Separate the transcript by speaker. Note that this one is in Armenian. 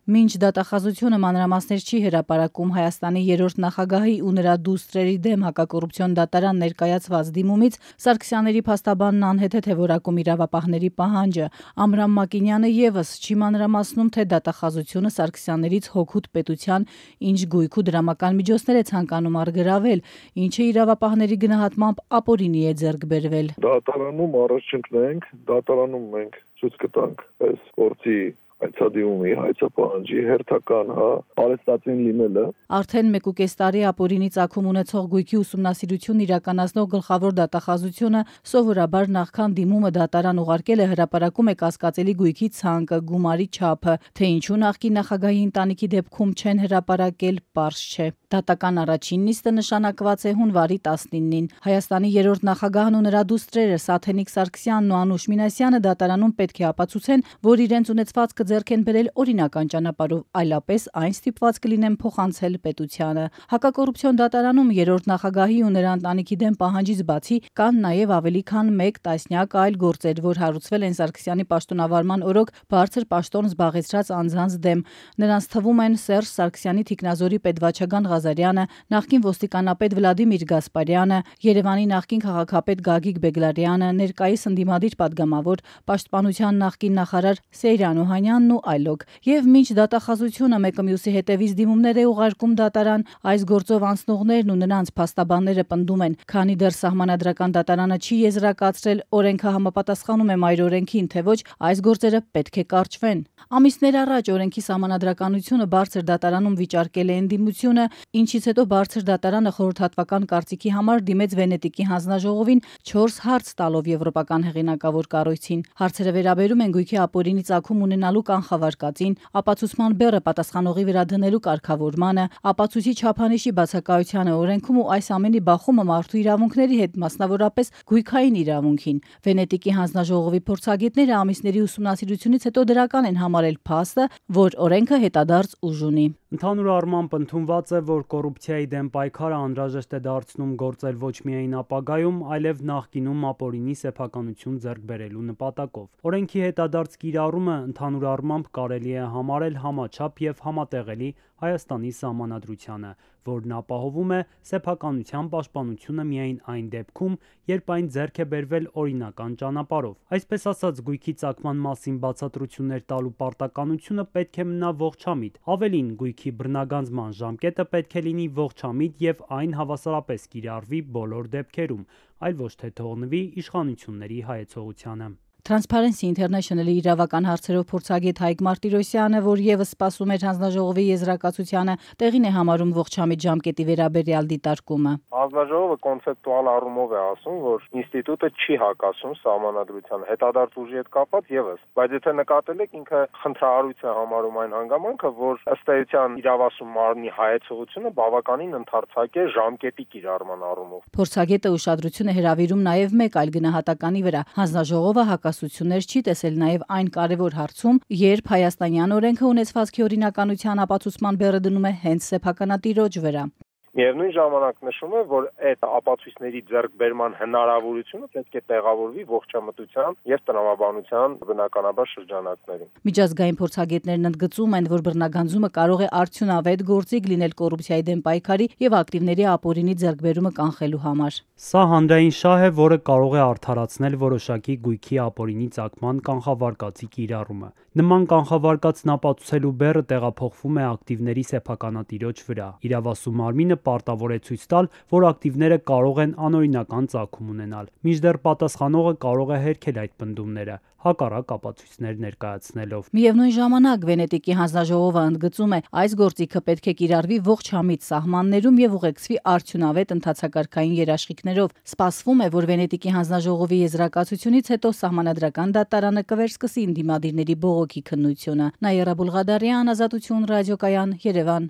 Speaker 1: Մինչ դատախազությունը մանրամասներ չի հրապարակում Հայաստանի երրորդ նախագահի ու նրա դուստրերի դեմ հակակոռուպցիոն դատարան ներկայացված դիմումից, Սարգսյանների փաստաբանն անհեթեթ է որակում իրավապահների պահանջը։ Ամրամ Մակինյանը ևս չի մանրամասնում, թե դատախազությունը Սարգսյաններից հօգուտ պետության ինչ գույք ու դրամական միջոցներ է ցանկանում առգրավել, ինչը իրավապահների գնահատմամբ ապօրինի է ձեռք բերվել։
Speaker 2: Դատարանում առաջընկնենք, դատարանում մենք ցույց կտանք այս գործի հայցադիմումի, հայցապահանջի հերթական արեստատին լինելը։
Speaker 1: Արդեն 1.5 տարի ապօրինի ծագում ունեցող գույքի ուսումնասիրություն իրականացնող գլխավոր դատախազությունը սովորաբար նախքան դիմումը դատարան ուղարկել է հրապարակում է կասկածելի գույքի ցանկը, գումարի չափը, թե ինչու նախկին նախագահի ընտանիքի դեպքում չեն հրապարակել, պարզ չէ։ Դատական առաջին նիստը նշանակված է հունվարի 19-ին։ Հայաստանի երրորդ նախագահն ու նրա դուստրերը Սաթենիկ Սարգսյանն ու Անուշ Մինասյանը դատարանում պետք է ապացուցեն, որ իրենց ունեցվածքը ձեռք են բերել օրինական ճանապարհով, այլապես այն ստիպված կլինեն փոխանցել պետությանը։ Հակակոռուպցիոն դատարանում երրորդ նախագահի ու նրա ընտանիքի դեմ պահանջից բացի կան նաև ավելի քան 1 տասնյակ այլ գործեր, որ հարուցվել են Սարգսյանի պաշտոնավարման օրոք բարձր պաշտոն զբաղեցրած անձանց դեմ։ Նրանց թվում են Սերժ Սարգսյանի թիկնազորի պետվաճառական Ղազարյանը, նախկին ոստիկանապետ Վլադիմիր Գասպարյանը, Երևանի նախկին քաղաքապետ Գագիկ Բեգլարյանը, ներկայիս ընդդիմադիր պատգամավոր, պաշտպանության նախկին նախարար Սեյրան Օհանյանն ու այլոք։ Եվ մինչ դատախազությունը մեկը մյուսի հետևից դիմումներ է ուղարկում դատարան, այս գործով անցնողներն ու նրանց փաստաբանները պնդում են, քանի դեռ սահմանադրական դատարանը չի եզրակացրել օրենքը համապատասխանում է մայր օրենքին, թե ոչ, այս գործերը պետք է կարճվեն։ Ամիսներ առաջ օրենքի սահմանադրականությունը բարձր դատարանում վիճարկել է ընդդիմությունը, ինչից հետո բարձր դատարանը խորհրդատվական կարծիքի համար դիմեց Վենետիկի հանձնաժողովին 4 հարց տալով եվրոպական հեղինակավոր կառույցին։ Հարցերը վերաբերում են գույքի ապօրինի ծագում ունենալու կանխավարկածին, ապացուցման բեռը պատասխանողի վրա դնելու կարգավորմանը, ապացույցի չափանիշի բացակայությանը օրենքում ու այս ամենի բախումը մարդու իրավունքների հետ, մասնավորապես գույքային իրավունքին։ Վենետիկի հանձնաժողովի փորձագետները ամիսների ուսումնասիրությունից հետո դրական են համարել փաստը, որ օրենքը հետադարձ ուժ ունի։
Speaker 3: Ընդհանուր առմամբ ընդունված է, որ կոռուպցիայի դեմ պայքարը անհրաժեշտ է դարձնում գործել ոչ միայն ապագայում, այլև նախկինում ապօրինի սեփականություն ձեռք բերելու նպատակով։ Օրենքի հետադարձ կիրառումը ընդհանուր առմամբ կարելի է համարել համաչափ եւ համատեղելի Հայաստանի Սահմանադրությանը, որն ապահովում է սեփականության պաշտպանությունը միայն այն դեպքում, երբ այն ձեռք է բերվել օրինական ճանապարհով։ Այսպես ասած, գույքի ծագման մասին բացատրություններ տալու պարտականությունը պետք է մնա ողջամիտ։ Ավելին, գույքի բռնագանձման ժամկետը պետք է լինի ողջամիտ եւ այն հավասարապես կիրառվի բոլոր դեպքերում, այլ ոչ թե թողնվի իշխանությունների հայեցողությանը։
Speaker 1: Transparency International-ի իրավական հարցերով փորձագետ Հայկ Մարտիրոսյանը, որ եւս սպասում էր հանձնաժողովի եզրակացությանը, տեղին է համարում ողջամիտ ժամկետի վերաբերյալ դիտարկումը։
Speaker 4: Հանձնաժողովը կոնցեպտուալ առումով է ասում, որ ինստիտուտը չի հակասում սահմանադրությանը, հետադարձ ուժի հետ կապված եւս, բայց եթե նկատել եք, ինքը խնդրահարույց է համարում այն հանգամանքը, որ ըստ էության իրավասու մարմնի հայեցողությունը բավականին ընդարձակ է ժամկետի կիրառման առումով։
Speaker 1: Փորձագետը ուշադրություն է հրավիրում նաեւ մեկ այլ գնահատականի վրա։ Հանձնաժողովը հակասություններ չի տեսել նաև այն կարևոր հարցում, երբ հայաստանյան օրենքը ունեցվածքի օրինականության ապացուցման բեռը դնում է հենց սեփականատիրոջ վրա։
Speaker 4: Միևնույն ժամանակ նշում է, որ այդ ապացույցների ձեռքբերման հնարավորությունը պետք է տեղավորվի ողջամտության եւ տրամաբանության բնականաբար շրջանակներում։
Speaker 1: Միջազգային փորձագետներն ընդգծում են, որ բռնագանձումը կարող է արդյունավետ գործիք լինել կոռուպցիայի դեմ պայքարի եւ ակտիվների ապօրինի ձեռքբերումը կանխելու համար։
Speaker 3: Սա հանրային շահ է, որը կարող է արդարացնել որոշակի գույքի ապօրինի ծագման կանխավարկածի կիրառումը։ Նման կանխավարկածն ապացուցելու բեռը տեղափոխվում է ակտիվների սեփականատիրոջ վրա։ Իրավասու մարմինը պարտավոր է ցույց տալ, որ ակտիվները կարող են անօրինական ծագում ունենալ, մինչդեռ պատասխանողը կարող է հերքել այդ պնդումները, հակառակ ապացույցներ ներկայացնելով։
Speaker 1: Միևնույն ժամանակ Վենետիկի հանձնաժողովը ընդգծում է, այս գործիքը պետք է կիրառվի ողջամիտ սահմաններում եւ ուղեկցվի արդյունավետ ընթացակարգային երաշխիքներով։ Սպասվում է, որ Վենետիկի հանձնաժողովի եզրակացությունից հետո սահմանադրական դատարանը կվերսկսի ընդդիմադիրների բողոքի քննությունը։ Նաիրա Բուլղադարյան, Ազատություն ռադիոկայան, Երևան։